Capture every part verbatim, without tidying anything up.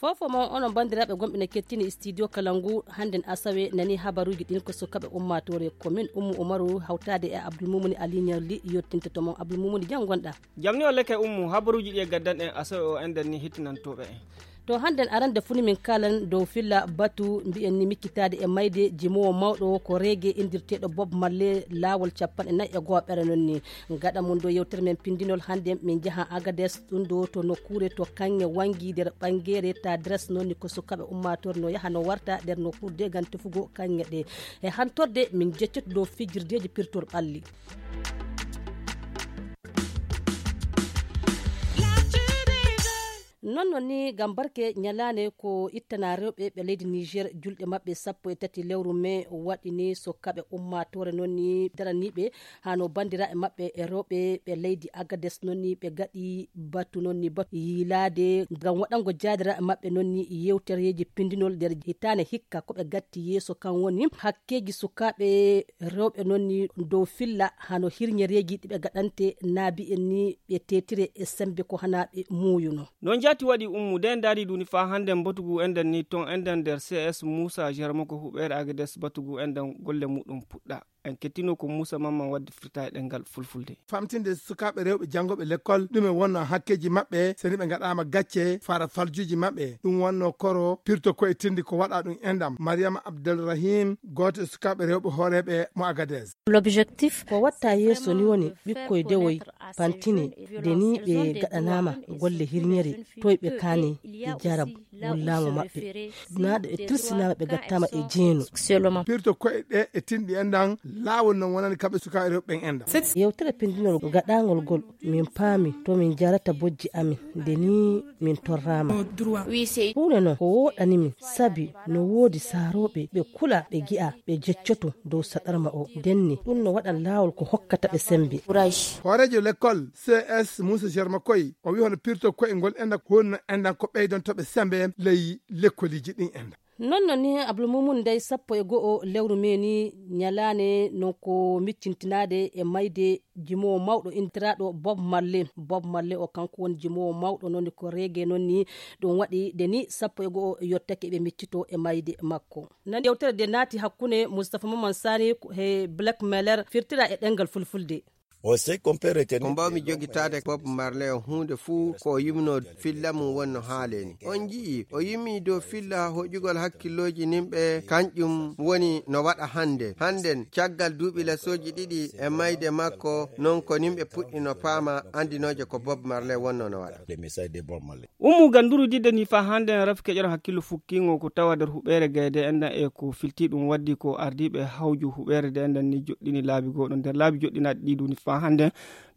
Fofo mo onon banndiraaɓe gonɓe ne kettini studio kala ngu, hannden asawe nani habaruuji ɗin ko sukaɓe ummaatoore commune Ummu Umaru hawtaade e Abdul Mumuni Aliñalli yottinta to mon. Abdul Mumuni, jam ngonɗa? Jam ni o leke Ummu, habaruuji ɗi e gaddan en asawe o enɗan ni hettinantooɓe en. To hannden arande funi min kaalan dow filla batu mbiyen ni miccitaade e mayde jimoowo mawɗo ko reege inndirteeɗo Bob Marley laawol capanɗe nayi e gooɓere noon ni. Gaɗa mum ɗo yewtere men pinndinol hannde, min njaha Agades, ɗum ɗo to nokkuure to kaŋŋe wanngi nder ɓanngeere ta dres, noon ni ko sukaaɓe ummaatoore no yaha no warta nder nokkuure de ngam tefugo kaŋŋe ɗe. E hantorde min jeccoto dow fijirdeeji pirtol ɓalli. Noon noon ni ngam barke ñalaande ko ittana rewɓe ɓe leydi Niger julɗe maɓɓe sappo e tati lewru mee waɗi ni sukaaɓe ummaatoore noon ni daraniiɓe hano banndiraaɓe maɓɓe e rewɓe ɓe leydi Agades noon ni ɓe gaɗi batu noon ni batu yiilaade ngam waɗango jaadiraaɓe maɓɓe noon ni yewtereeji pinndinol nder hitaande hikka ko ɓe gatti yeeso kan woni hakkeeji sukaaɓe rewɓe noon ni dow filla hano hirñereeji ɗi ɓe gaɗante naabi en ni ɓe teetire e semmbe ko hana ɓe muuyuno. Noon jaati waɗi Ummu de ndaari duni faa hannden batugu enɗan ni toon enɗan nder C S Muusa Jarmo ko huɓeere Agades batugu enɗan golle muɗum puɗɗa. En kettino ko Muusa Mamman waddi firta e ɗemngal fulfulde. Famtinde sukaaɓe rewɓe janngooɓe lekkol, ɗume wonno hakkeeji maɓɓe, so ni ɓe ngaɗaama gacce, fara faljuuji maɓɓe. Ɗum wonno koro pirto ko e tindi ko waɗa ɗum enɗam. Mariama Abdelrahim, gooto e sukaaɓe rewɓe hooreeɓe mo Agades. L'objectif, ko watta yeeso ni woni ɓikkoy dewoy pantine, de ni ɓe gaɗanaama golle hirñere, toy ɓe kaani e jarab wullaamo maɓɓe. Naaɗo e tilsinaama ɓe gattaama e jeenu. Pirto ko'e ɗe e tinɗi enɗan, laawol non wonani kamɓe sukaaɓe rewɓe ɓen enɗan. Yewtere pinndinol gaɗaangol gol, min paami to min jarata bojji amin, de ni min torraama. Huunde non ko wooɗani min, sabi no woodi saarooɓe ɓe kula, ɓe gi'a, ɓe jeccoto dow saɗarma o. Denni, ɗum no waɗan laawol ko hokkata ɓe semmbe. Hooreejo lekkol C S Muusa Jarma Koy, o wi'i hono pirto ko'e ngol enɗan ko honno enɗan ko ɓeydonto ɓe semmbe ley lekkoliiji ɗin enɗan. Noon noon ni Abdul Mumun dey sappo e go'o lewru mee ni ñalaande non ko miccintinaade e mayde jimoowo mawɗo intiraaɗo Bob Marley. Bob Marley o kanko woni jimoowo mawɗo noon ko reege noon ni ɗum waɗi de ni sappo e go'o yottake ɓe miccito e mayde makko. Nan yewtere de naati hakkunde Moustapha Maman Sani he Black Mailer firtira e ɗemngal fulfulde. Ko mbawmi jogitaade Bob Marley o huunde fuu ko o yumno filla mum wonno haaleni. On nji'i o yummi dow filla hoƴugol hakkillooji nimɓe kanƴum woni no waɗa hannde. Hannden caggal duuɓi lasooji ɗiɗi e mayde makko non ko nimɓe puɗɗi no paama anndinooje ko Bob Marley wonno no waɗa. Ummu ganduru didde ni fa hande en rafi keƴoto hakkillo fukkingo ko tawa nder huɓeere gayde enɗan e ko filti ɗum waddi ko ardiiɓe hawju huɓeere de enɗan ni joɗɗini laabi goɗon nder laabi joɗɗinaɗi ɗi duni fa hande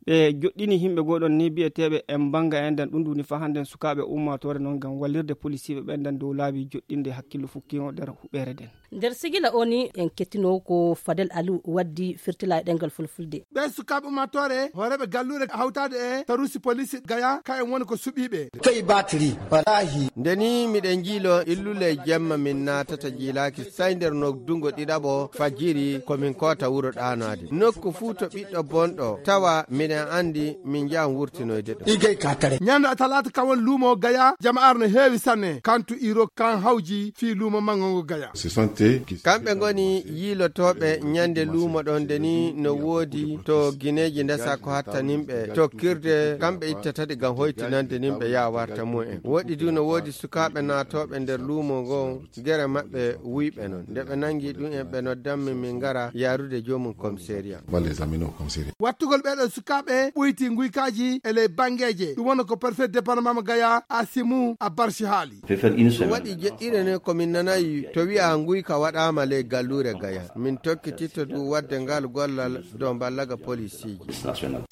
ɓe joɗɗini himɓe goɗon ni bi'eteeɓe en banga enɗan ɗum duni fa hande sukaaɓe ummatore noon ngam wallirde polisiiɓe ɓe enɗan dow laabi joɗɗinde hakkillo fukkingo nder huɓeere den. Nder sigila o ni en kettino ko Fadel Aliou waddi firtila e ɗemngal fulfulde. Ɓee sukaaɓe ummaatoore hooreeɓe galluure hawtaade e taruusi poliisi Gaya ka en woni ko suɓiiɓe. Toy batiri walahi. Nde ni miɗen njiilo illule jemma min naatata jiilaaki say nder noddungo ɗiɗaɓo fajiri ko min koota wuro ɗaanaade nokku fuu to ɓiɗɗo bonɗo tawa miɗen anndi min njahan wurtinoyde ɗum. Igay katare. Ñande talaata kawon luumo Gaya jama'aar no heewi sanne kantu iro kan hawji fii luumo manngo ngo Gaya. Kamɓe ngoni yiilotooɓe ñande luumo ɗon nde ni no woodi to gineeji ndesa ko hatta nimɓe tokkirde kamɓe ittata ɗi ngam hoytinande nimɓe yaa warta mumen woɗɗi du no woodi sukaaɓe naatooɓe nder luumo ngo gere maɓɓe wuyɓe non nde ɓe nangi ɗum en ɓe noddammi min ngara yaarude joomum komiseeriya. Wattugol ɓeeɗo sukaaɓe ɓoyti nguykaaji e ley banngeeje ɗum woni ko perfet département mo Gaya Asimu Abarsi haali. Ɗum waɗi jeɗɗire ne ko min nanayi to wi'a nguyka waɗaama ley galluure Gaya min tokkititto du waɗde ngal gollal dow mballaga polisiiji.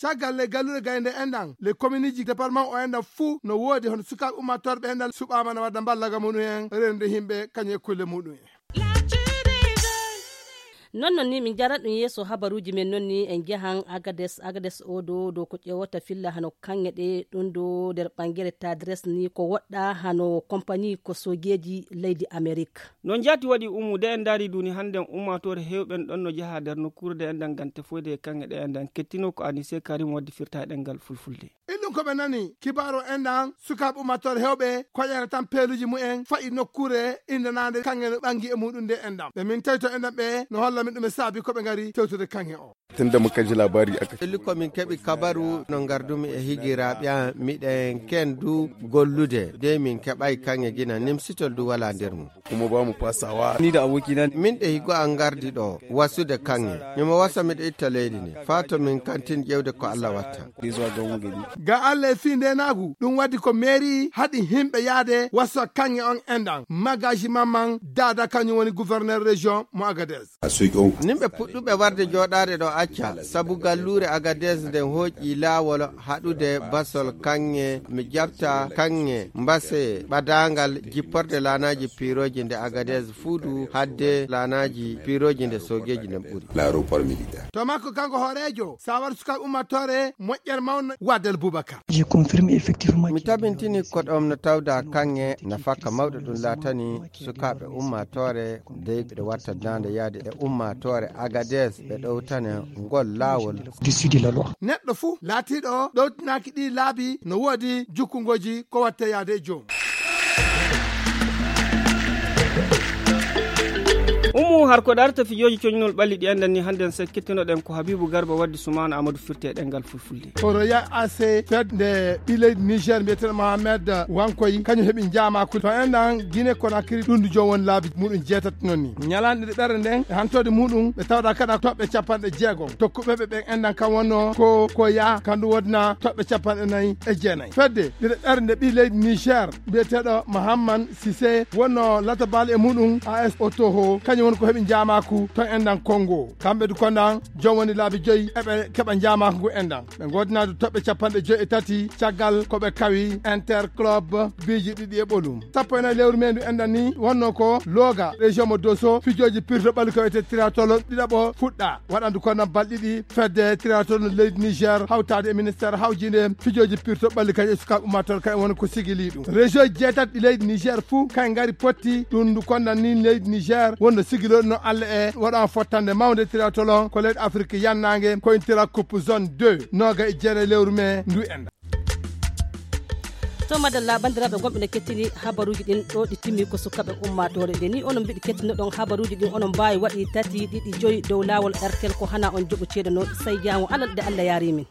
Caggal ley galluure Gaya nde enɗan ley kominiiji département o enɗan fuu no woodi hono sukaaɓe ummatorɓe enɗan suɓaama no wadda mballaga muɗum en rende yimɓe kañum e kulle muɗum en. Non non ni min jarat ɗum yeeso habaruuji men non ni en njahan Agades, Agades o do dow ko ƴeewata filla hano kaŋŋe ɗe ɗum do nder ɓangere Tadres ni ko woɗɗa hano kompani ko soojeeji leydi Amerik. No njaati waɗi umu de en ndaari duni hannden ummaatoore heewɓe en ɗon no njaha nder nokkuure de enɗan ngam tefoyde e kaŋŋe ɗe enɗan kettino ko Anise Karim waddi firta e ɗemngal fulfulde. Inɗum ko ɓe nani kibaaru enɗan sukaaɓe ummaatoore heewɓe koƴere tan peeluuji mumen fa'i nokkuure indanaande kaŋŋe no ɓangi e muɗum nde enɗan ɓe min tawi to enɗan ɓe no holla min ɗum e saabi ko ɓe ngari tewtude kaŋŋe o. Tunda muka ji labari aka. Pelli ko min keɓi kabaru no ngardumi e higiraaɓe am miɗen kendu gollude de min keɓay kaŋŋe gina nimsitol du wala nder mum. Kuma ba mu fasawa ni da abokina ne. Min ɗe higo an ngardi ɗo wasude kaŋŋe mimo wasa miɗo itta leydi ndi faa to min kantin ƴewde ko Allah watta. Ga Allah e fii ndeenaagu ɗum waddi ko meeri haɗi himɓe yaade wasa kaŋŋe on enɗan magaji mamman daada kañum woni gouverneur région mo Agadez. Nin ɓe puɗɗuɓe warde jooɗaade ɗo acca sabu galluure Agadez nden hooƴi laawol haɗude basol kaŋŋe mi jaɓta kaŋŋe mbase ɓadaangal jipporde laanaaji piirooji nde Agadez fuu du hadde laanaaji piirooji nde soogeeji nden ɓuri. To makko kanko hooreejo sawar sukaaɓe ummatore moƴƴere mawna Wadal Bubakar. Mi tabintini ko ɗom no tawda kaŋŋe nafaka mawɗo ɗum laatani sukaaɓe ummatore dey ɓe watta daande yaade e ummatore Agades ɓe ɗowtane ngol laawol. Neɗɗo fuu laatiiɗo ɗowtinaaki ɗi laabi no woodi jukkungoji ko watte yaade e joom. Umu har ko darta fijooji coñnol ɓalli ɗi enɗan ni hannden sekkittinoɗen ko Habibu Garba waddi Sumaana Amadu firte e ɗemngal fulfulde. Ko Royal A C fedde ɓi leydi Niger mbiyeteɗo Mohamed Wankoy kañum heɓi njaamaaku to enɗan Gine Konakiri ɗum du joom woni laabi muɗum jeetati noon ni ñalaande ɗe ɓerɗe nden e hantoode muɗum ɓe tawda kaɗa toɓɓe capanɗe jeegom tokkuɓe ɓe ɓen enɗan kam wonno ko ko yaa kandu wodna toɓɓe capanɗe nayi e jeenayi fedde ɗiɗo ɓernde ɓi leydi Niger mbiyeteɗo Mahamman Sise wonno latabal e muɗum A S O Toho kañum woni ko heɓi njaamaaku ton enɗan Kongo kamɓe du konɗan joom woni laabi joyi eɓe keɓa njaamaaku ngu enɗan ɓe godinadu toɓɓe capanɗe joyi e tati caggal ko ɓe kawi Interclub biiji ɗiɗi e ɓolum sappo e nayi lewru mendu enɗan ni wonno ko Loga région mo Doso fijooji pirto ɓalli ko wiyete triathlon ɗiɗaɓo fuɗɗa waɗandu konɗan balɗi ɗi fedde triathlon leydi Niger hawtaade e ministère hawjinde fijooji pirto ɓalli kañum e sukaaɓe ummatore kañum woni ko sigili ɗum région jeetati ɗi leydi Niger fuu kay ngari potti ɗum ndu konɗan ni leydi Niger wonno sigiloɗo no Allah e waɗan fottande mawnde triathlon ko leydi Afrique yannaange ko intira coupe zone deux noga e jeere lewru mai ndu enɗan. To madalla banndiraaɓe gonɓe no kettini habaruuji ɗin ɗo ɗi timmi ko sukaɓe ummatore nde ni onon mbiɗi kettinoɗon habaruuji ɗin onon mbaawi waɗi tati ɗiɗi joyi dow laawol R T L ko hana on joɓo ceeɗano sai jaango alal de Allah yaari min.